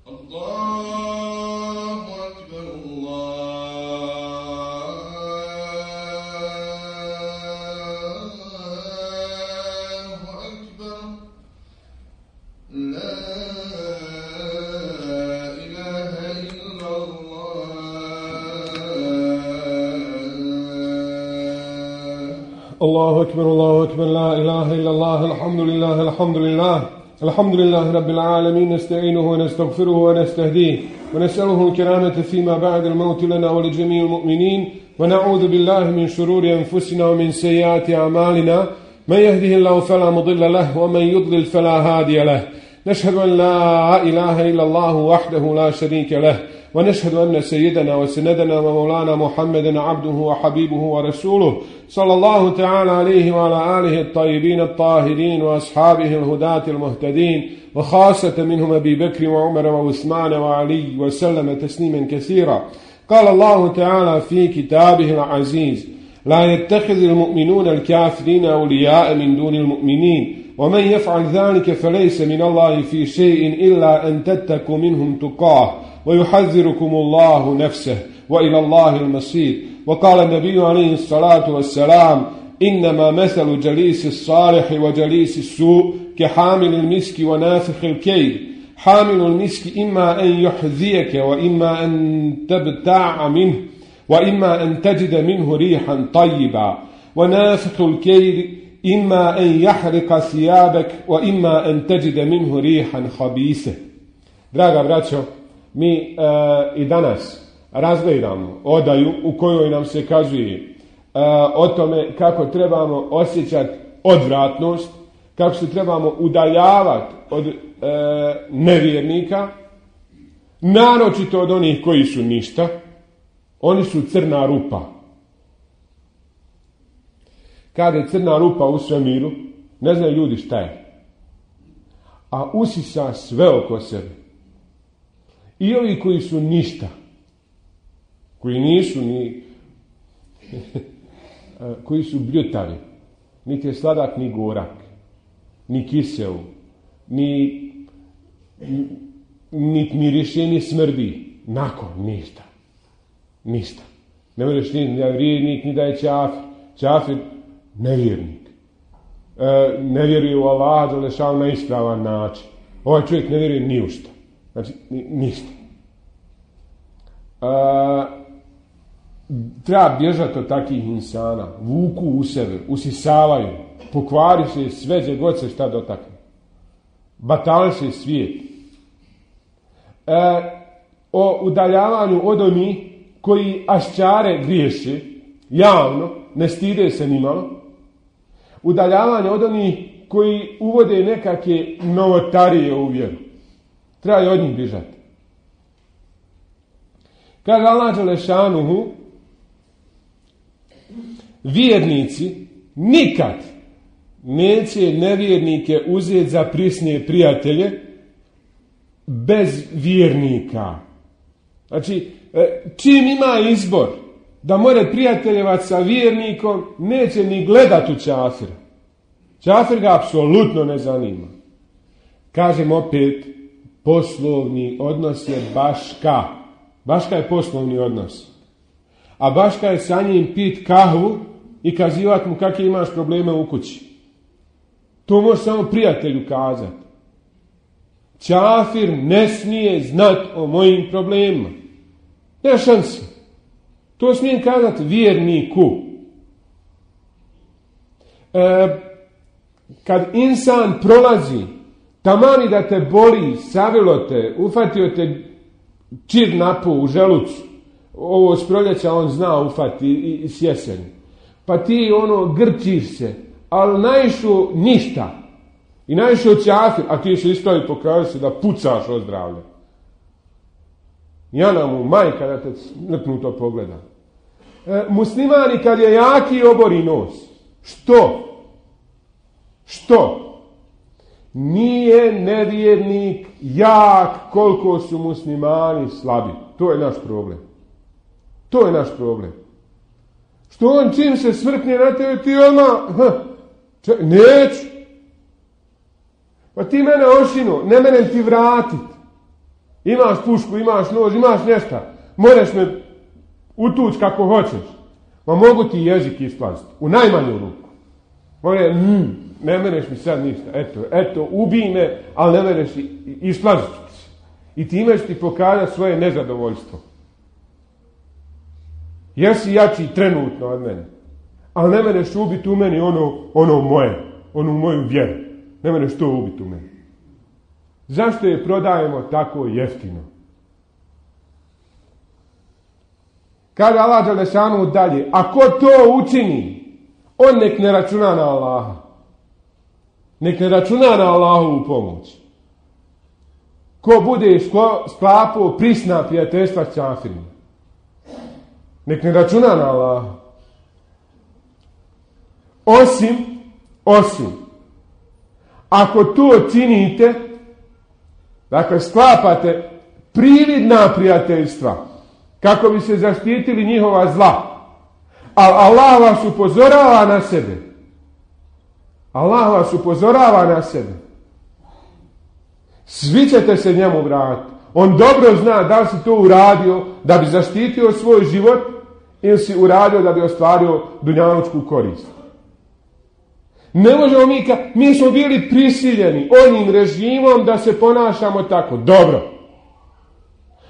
الله أكبر لا إله إلا الله الحمد لله رب العالمين نستعينه ونستغفره ونستهديه ونسأله الكرامة فيما بعد الموت لنا ولجميع المؤمنين ونعوذ بالله من شرور أنفسنا ومن سيئات أعمالنا من يهده الله فلا مضل له ومن يضلل فلا هادي له نشهد أن لا إله إلا الله وحده لا شريك له ونشهد أن سيدنا وسندنا ومولانا محمدا عبده وحبيبه ورسوله صلى الله تعالى عليه وعلى آله الطيبين الطاهرين وأصحابه الهداة المهتدين وخاصة منهم أبي بكر وعمر وعثمان وعلي وسلم تسليما كثيرا. قال الله تعالى في كتابه العزيز: لا يتخذ المؤمنون الكافرين أولياء من دون المؤمنين ومن يفعل ذلك فليس من الله في شيء إلا أن تتقوا منهم تقاه ويحذركم الله نفسه وإلى الله المصير. وقال النبي عليه الصلاة والسلام: إنما مثل جليس الصالح وجليس السوء كحامل المسك ونافخ الكيل. حامل المسك إما أن يحذيك وإما أن تبتاع منه وإما أن تجد منه ريحا طيبا، ونافخ الكيل إما أن يحرق ثيابك وإما أن تجد منه ريحا خبيثة. Draga braćo, mi i danas razgledamo odaju u kojoj nam se kazuje o tome kako trebamo osjećati odvratnost, kako se trebamo udaljavati od nevjernika, naročito od onih koji su ništa. Oni su crna rupa. Kada je crna rupa u svemiru, ne znaju ljudi šta je. A usisa sve oko sebe. I ovi koji su ništa, koji nisu ni koji su bljutavi, niti je sladak ni gorak, ni kiseo, ni miriše, ni smrdi. Nakon ništa. Ne možeš ni da je vjernik, ni da je čafir. Čafir, nevjernik. Ne vjeruje u Allaha dželešanu na ispravan način. Ovaj čovjek ne vjeruje ni u šta. Znači, ništa. Treba bježati od takvih insana. Vuku u sebe, usisavaju, pokvari se sve gdje god se šta dotakne. Batali se svijet. O udaljavanju od onih koji aščare griješe javno, ne stide se nimalo. Udaljavanje od onih koji uvode nekakve novotarije u vjeru. Treba i od njih bježati. Kaže Allah dželešanuhu, vjernici nikad neće nevjernike uzeti za prisne prijatelje bez vjernika. Znači, čim ima izbor da more prijateljevati sa vjernikom, neće ni gledati u čafira. Čafir ga apsolutno ne zanima. Kažem opet, poslovni odnos je baška. Baška je poslovni odnos. A baška je sa njim pit kahvu i kazivati mu kakve imaš probleme u kući. To može samo prijatelju kazati. Čafir ne smije znati o mojim problemima. Ne šanse. To smijem kazati vjerniku. Kad insan prolazi, tamani da te boli, savilo te, ufatio te čir napu u želucu, ovo s proljeća on zna ufati i s jeseni. Pa ti grčiš se, ali naišu ništa. I naišu čafir, a ti se isto i pokaže se da pucaš od zdravlja. Jana mu majka da te lipnuto pogleda. Muslimani kad je jaki obori nos. Što? Nije nevjernik jak koliko su muslimani slabi. To je naš problem. Što on čim se svrkne na tebe, ti neću. Pa ti mene ošino, ne mene ti vratit. Imaš pušku, imaš nož, imaš nešto. Moraš me utući kako hoćeš. Ma mogu ti jezik isplaziti. U najmanju ruku. Ne mereš mi sad ništa. Eto, ubij me, ali ne mereš isplaziti. I time ću ti pokazati svoje nezadovoljstvo. Jesi jači trenutno od mene. Ali ne mereš ubiti u meni ono moje. Onu moju vjeru. Ne mereš to ubiti u meni. Zašto je prodajemo tako jeftino? Kaže Allah Đelešanu dalje, a ko to učini, on nek ne računa na Allaha. Nek ne računa na Allahovu pomoć. Ko bude sklapao prisna prijateljstva s kafirima. Nek ne računa na Allaha. Osim, ako to činite, dakle sklapate prividna prijateljstva, kako bi se zaštitili njihova zla. Ali Allah vas upozorava na sebe. Allah vas upozorava na sebe. Svi ćete se njemu vratiti. On dobro zna da li si to uradio da bi zaštitio svoj život ili si uradio da bi ostvario dunjalučku korist. Ne možemo mi smo bili prisiljeni onim režimom da se ponašamo tako. Dobro.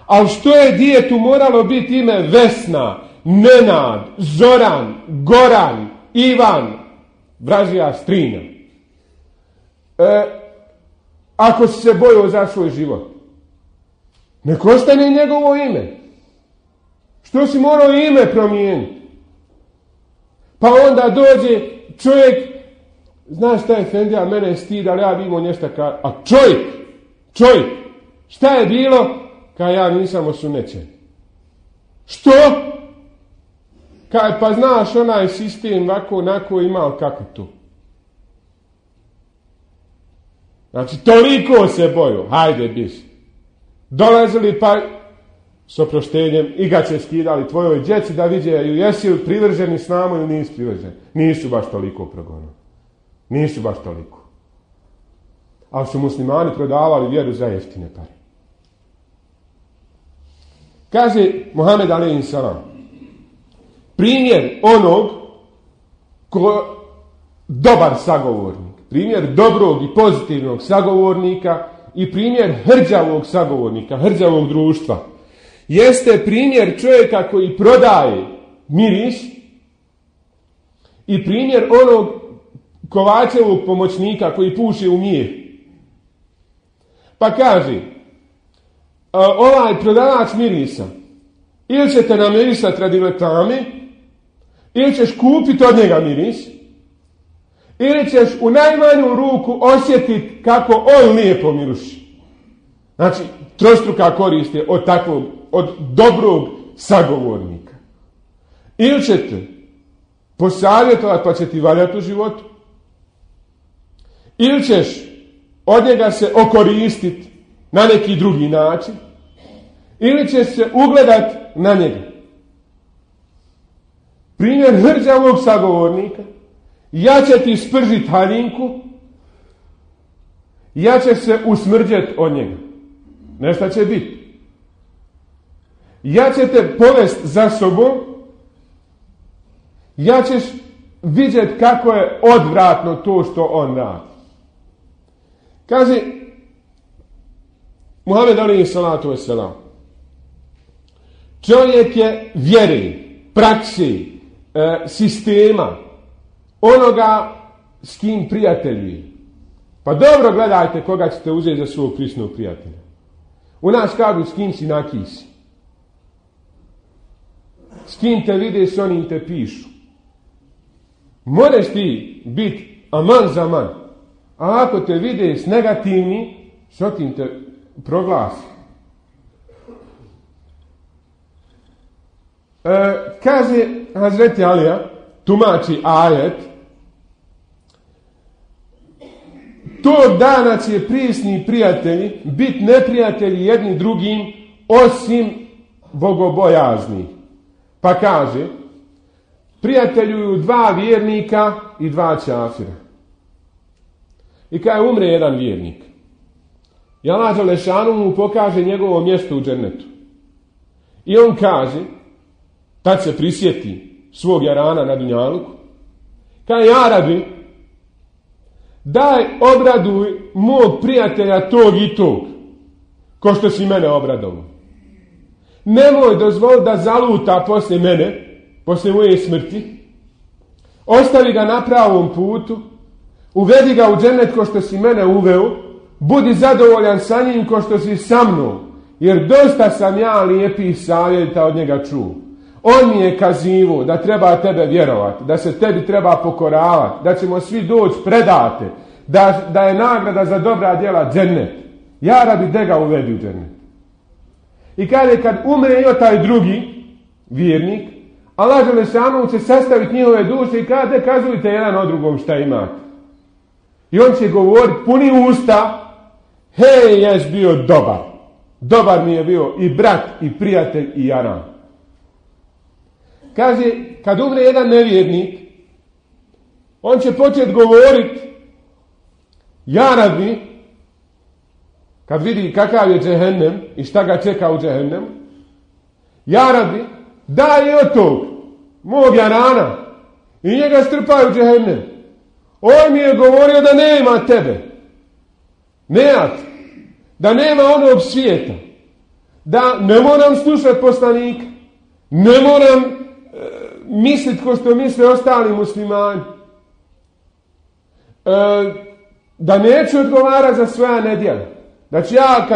Ali što je djetetu moralo biti ime Vesna, Nenad, Zoran, Goran, Ivan, vražija Strina? Ako si se bojao za svoj život, nek ostane njegovo ime. Što si morao ime promijeniti? Pa onda dođe čovjek, znaš šta je Fendija, mene je stid, ali ja bi imao nešto a čovjek, šta je bilo? Ja nisam osunećen. Što? Pa znaš onaj sistem ovako, onako imao kako to. Znači, toliko se boju. Hajde, biš. Dolazili pa s oproštenjem i ga će skidali tvojoj djeci da vidjeju jesi li privrženi s nama ili nisi privrženi. Nisu baš toliko progonili. Nisu baš toliko. Ali su muslimani prodavali vjeru za jeftine pare. Kaže Muhammed alejhi selam, primjer onog dobar sagovornik, primjer dobrog i pozitivnog sagovornika i primjer hrđavog sagovornika, hrđavog društva, jeste primjer čovjeka koji prodaje miris i primjer onog Kovačevog pomoćnika koji puše u mijeh. Pa kaže, ovaj prodavač mirisa, ili ćete namirisati radi reklame, ili ćeš kupiti od njega miris, ili ćeš u najmanju ruku osjetiti kako on lijepo miruši. Znači, trostruka korist je od takvog, od dobrog sagovornika. Ili ćete posavjetovati pa će ti valjati u životu, ili ćeš od njega se okoristiti na neki drugi način, ili ćeš se ugledati na njega. Primjer hrđavog sagovornika, ja će ti spržiti haljinku, ja će se usmrđeti od njega. Nešto će biti. Ja će te povesti za sobom, ja ćeš vidjeti kako je odvratno to što on radi. Kaže Muhammed alejhi salatu vesselam, čovjek je vjere, prakse, sistema, onoga s kim prijateljuje. Pa dobro gledajte koga ćete uzeti za svog prisnog prijatelja. U nas kažu s kim si nakisi. S kim te vide, s onim te pišu. Možeš ti biti aman za man. A ako te vide s negativni, s otim te proglasi. Kaže Hazreti Alija, tumači ajet, tog dana će prisni prijatelji biti neprijatelji jedni drugim osim bogobojazni. Pa kaže, prijateljuju 2 vjernika i 2 čafira. I kada umre jedan vjernik, i Allah dželešanu mu pokaže njegovo mjesto u džennetu. I on kaže, tad se prisjeti svog jarana na dunjaluku, kaže, ja Rabi, daj obraduj mog prijatelja tog i tog, ko što si mene obradovao. Nemoj dozvoli da zaluta poslije mene, poslije moje smrti. Ostavi ga na pravom putu, uvedi ga u džennet ko što si mene uveo, budi zadovoljan sa njim ko što si sa mnom, jer dosta sam ja lijepih savjeta od njega čuo. On mi je kazivo da treba tebe vjerovati, da se tebi treba pokoravati, da ćemo svi doći predate, da je nagrada za dobra djela džennet. Ja Rabi, de ga uvedi u džennet. I kaže, kad umre i taj drugi vjernik, Allah dželešanu će sastaviti njihove duše i kaže, kazujte jedan od drugom šta imate. I on će govoriti puni usta, hej, jes bio dobar. Dobar mi je bio i brat, i prijatelj, i jaran. Kaže, kad umre jedan nevjernik, on će početi govoriti, ja Rabi, kad vidi kakav je džehennem i šta ga čeka u džehennemu, ja Rabi, daj od tog, mog jarana, i njega strpaju u džehennem. On mi je govorio da nema tebe. Nema te. Da nema onog svijeta. Da ne moram slušati poslanika. Ne moram misliti ko što misle ostali muslimani. Da neću odgovarati za svoja nedjela. Znači ja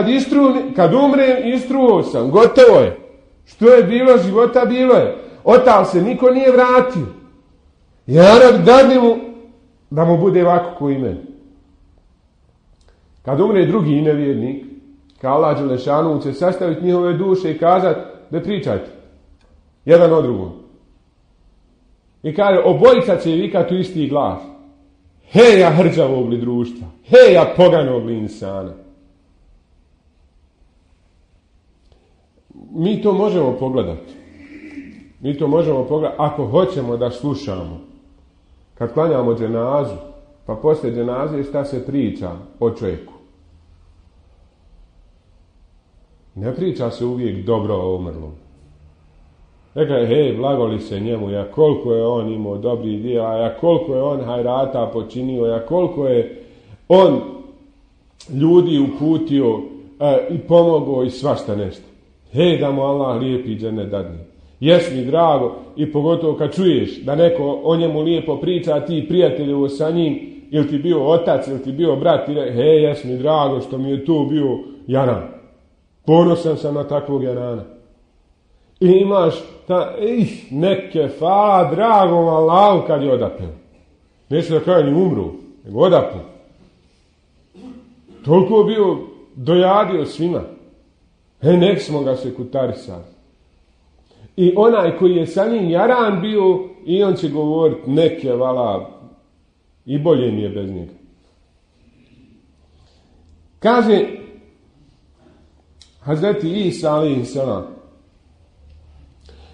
kad umrem, istruo sam. Gotovo je. Što je bilo života, bilo je. Otav se niko nije vratio. Ja dadni mu da mu bude ovako ko i meni. Kad umre drugi nevjernik, kao Allah dželešanu će sastaviti njihove duše i kazati, da pričajte. Jedan od drugom. I kaže, obojica će vikati u isti glas. Heja hrđavog li društva. Heja poganog li insana. Mi to možemo pogledati. Mi to možemo pogledati ako hoćemo da slušamo. Kad klanjamo dženazu, pa poslije dženaze šta se priča o čovjeku. Ne priča se uvijek dobro o umrlom. Neka je, hej, blagoli se njemu, ja koliko je on imao dobrih djela, ja koliko je on hajrata počinio, ja koliko je on ljudi uputio i pomogao i svašta nešto. Hej, da mu Allah lijepi džennet dadne. Jes mi drago i pogotovo kad čuješ da neko o njemu lijepo priča, a ti prijateljevo sa njim, ili ti bio otac, ili ti bio brat, ili hej, jes mi drago što mi je tu bio jaran. Ponosan sam na takvog jarana. I imaš neke hvala dragom Allahu kad je odapeo. Neće da kaže ni umru, nego odapeo. Toliko bio dojadio svima. Nek smo ga se kutarisali. I onaj koji je sa njim jaran bio, i on će govoriti neke vala, i bolje mi je bez njega. Kaže Hazreti Isa alejhi selam,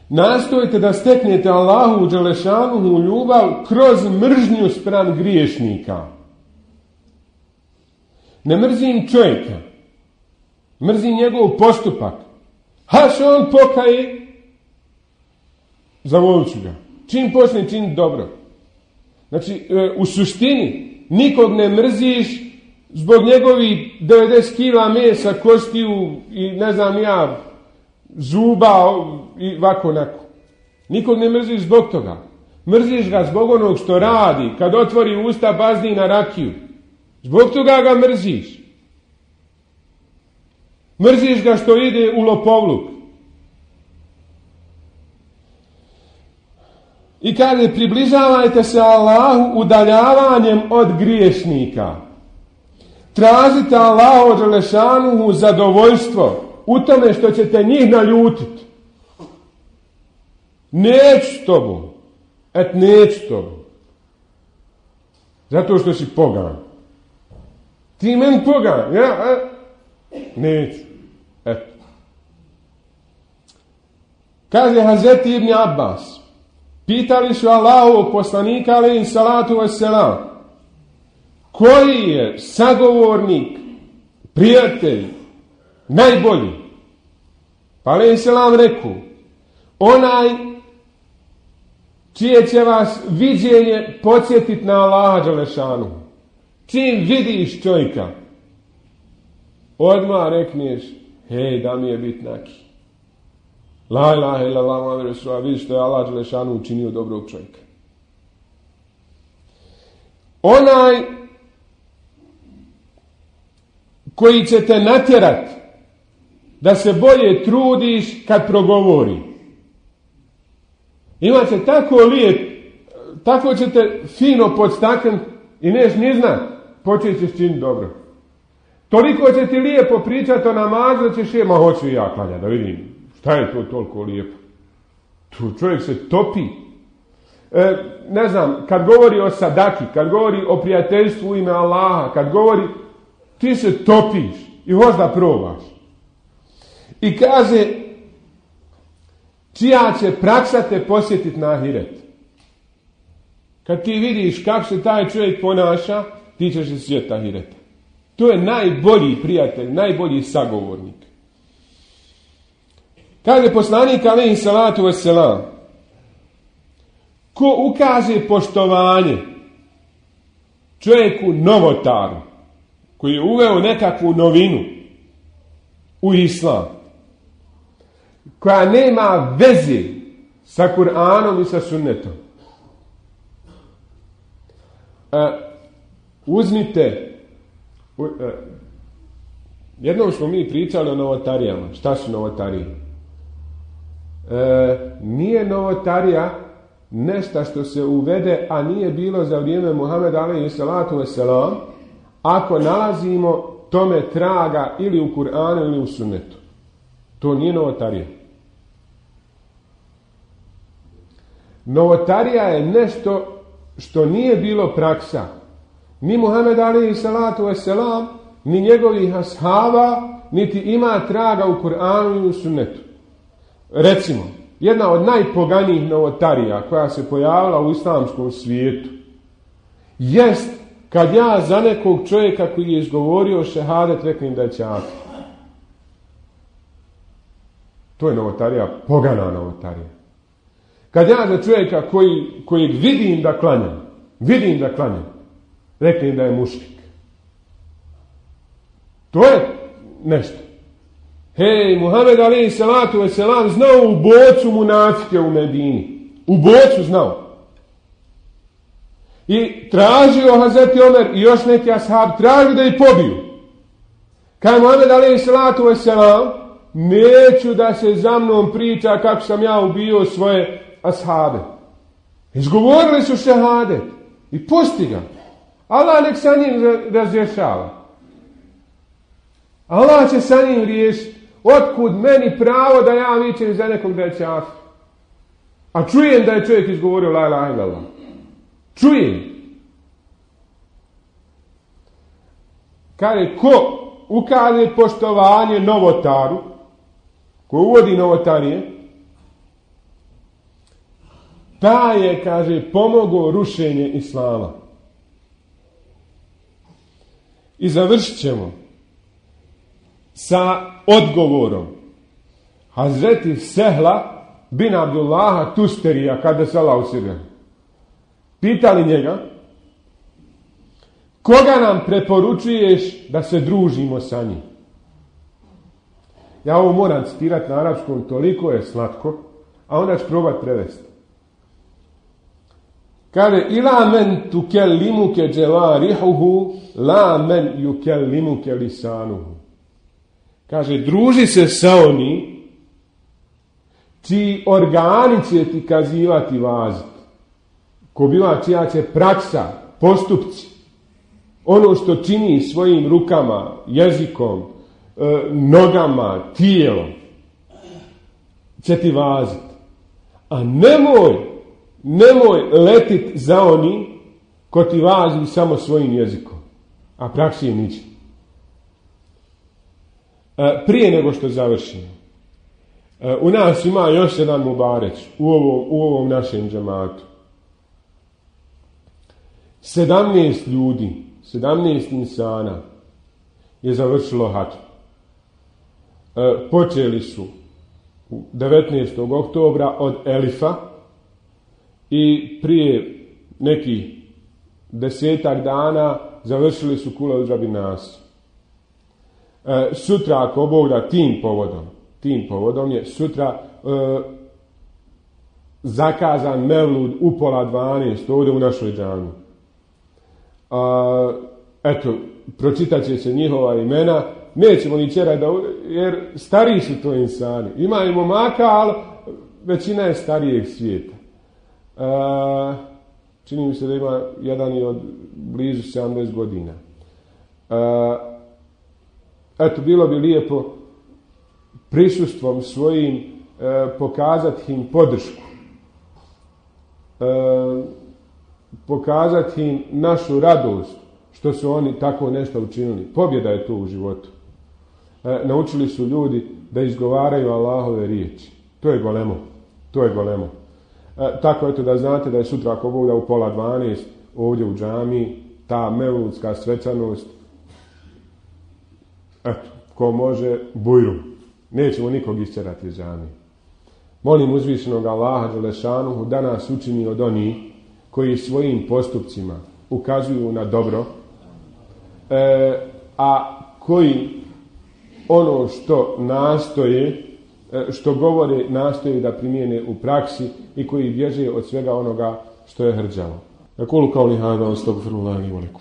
nastojite da steknete Allahu dželešanuhu ljubav kroz mržnju spram griješnika. Ne mrzim čovjeka, mrzim njegov postupak. Haš on pokaje, zavolit ću ga. Čim počne činiti dobro. Znači, u suštini, nikog ne mrziš zbog njegovih 90 kila mesa, kostiju i ne znam ja, zuba i ovako onako. Nikog ne mrziš zbog toga. Mrziš ga zbog onog što radi, kad otvori usta bazdi na rakiju. Zbog toga ga mrziš. Mrziš ga što ide u lopovluk. I kaže, približavajte se Allahu udaljavanjem od griješnika. Tražite Allahu dželešanuhu zadovoljstvo u tome što ćete njih naljutiti. Neću s tobom. Neću s tobom. Zato što si pogan. Ti meni pogan. Ja? Neću. Eto. Kaže Hazreti Ibn Abbas. Pitali su Allahovog poslanika alejhi salatu vesselam, koji je sagovornik prijatelj, najbolji. Pa alejhi selam rekao, onaj čije će vas viđenje podsjetiti na Allaha dželešanu. Čim vidiš čovjeka, odmah rekneš, hej, da mi je bitnaki. La ilaha illallah Muhammed Rasulullah, vidiš što je Allah dželešanu učinio dobrog čovjeka. Onaj koji će te natjerat da se bolje trudiš kad progovori. Imaće tako lijep, tako će te fino podstaknut i neš ni znat, počet ćeš činiti dobro. Toliko će ti lijepo pričati o namazu da ćeš ma hoću i ja klanjati, da vidim šta je to toliko lijepo. Tu čovjek se topi. Ne znam, kad govori o sadaki, kad govori o prijateljstvu u ime Allaha, kad govori, ti se topiš i hoćeš da probaš. I kaže, čija će praksa te posjetiti na ahiret. Kad ti vidiš kako se taj čovjek ponaša, ti ćeš se sjetiti ahireta. To je najbolji prijatelj, najbolji sagovornik. Kaže poslanik alejhi salatu vesselam, ko ukaže poštovanje čovjeku novotaru, koji je uveo nekakvu novinu u islam, koja nema veze sa Kur'anom i sa sunnetom. Uzmite, jednom smo mi pričali o novotarijama. Šta su novotarije? Nije novotarija nešto što se uvede, a nije bilo za vrijeme Muhameda alejhi salatu vesselam, ako nalazimo tome traga ili u Kur'anu ili u sunnetu. To nije novotarija. Novotarija je nešto što nije bilo praksa ni Muhammed alejhi salatu vesselam, ni njegovih ashaba, niti ima traga u Kur'anu i u sunnetu. Recimo, jedna od najpoganijih novotarija koja se pojavila u islamskom svijetu jest kad ja za nekog čovjeka koji je izgovorio šehadet reknem da je čafir. To je novotarija, pogana novotarija. Kad ja za čovjeka kojeg vidim da klanja, reknem da je mušrik. To je nešto. Hej, Muhammed alejhi salatu vesselam znao u bocu munafike u Medini. U bocu znao. I tražio Hazreti Omer i još neki ashab, tražio da ih pobiju. Kaj Muhammed alejhi salatu vesselam, neću da se za mnom priča kako sam ja ubio svoje ashabe. Izgovorili su šehadet i pusti ga. Allah nek sa njim razrješava. Allah će sa njim riješiti. Otkud meni pravo da ja vičem za nekog da je čafir? A čujem da je čovjek izgovorio la ilaha illallah. Čujem. Kaže, ko ukaže poštovanje novotaru, ko uvodi novotarije, taj je, kaže, pomogao rušenje islama. I završit ćemo sa odgovorom Hazreti Sehla bin Abdullaha Tusterija, kada se Allah usirga. Pitali njega, koga nam preporučuješ da se družimo sa njim? Ja ovo moram citirati na arapskom, toliko je slatko, a onda ću probati prevesti. Kaže, ila men tukellimuke dželarihuhu, la men yukellimuke lisanuhu. Kaže, druži se sa oni čiji organi će ti kazivati vazit. Ko bila čija će praksa, postupci, ono što čini svojim rukama, jezikom, nogama, tijelom, će ti vazit. A nemoj letit za oni ko ti vazi samo svojim jezikom, a praksi je niđe. Prije nego što završimo, u nas ima još jedan mubareć u ovom našem džematu. 17 ljudi, 17 insana je završilo hadž. Počeli su 19. oktobra od Elifa i prije nekih 10 dana završili su Kula Udžabi Nas. Sutra, ako Bog da, tim povodom je sutra zakazan mevlud u 11:30 ovdje u našoj džami. Eto, pročitat će se njihova imena. Nećemo ni čerati, jer stariji su to insani. Ima i momaka, ali većina je starijeg svijeta. Čini mi se da ima jedan i od blizu 70 godina. Eto, bilo bi lijepo prisustvom svojim pokazati im podršku. Pokazati im našu radost što su oni tako nešto učinili. Pobjeda je to u životu. Naučili su ljudi da izgovaraju Allahove riječi. To je golemo. Tako eto da znate da je sutra, ako Bog da, u 11:30 ovdje u džami ta mevludska svečanost. Eto, ko može, bujru. Nećemo nikog isčerati iz džami. Molim uzvišenog Allaha dželešanuhu da nas učini od onih koji svojim postupcima ukazuju na dobro, a koji ono što nastoje, što govore, nastoje da primijene u praksi i koji bježe od svega onoga što je hrđavo. Aqulu qawli hada wa astaghfirullaha li wa lakum.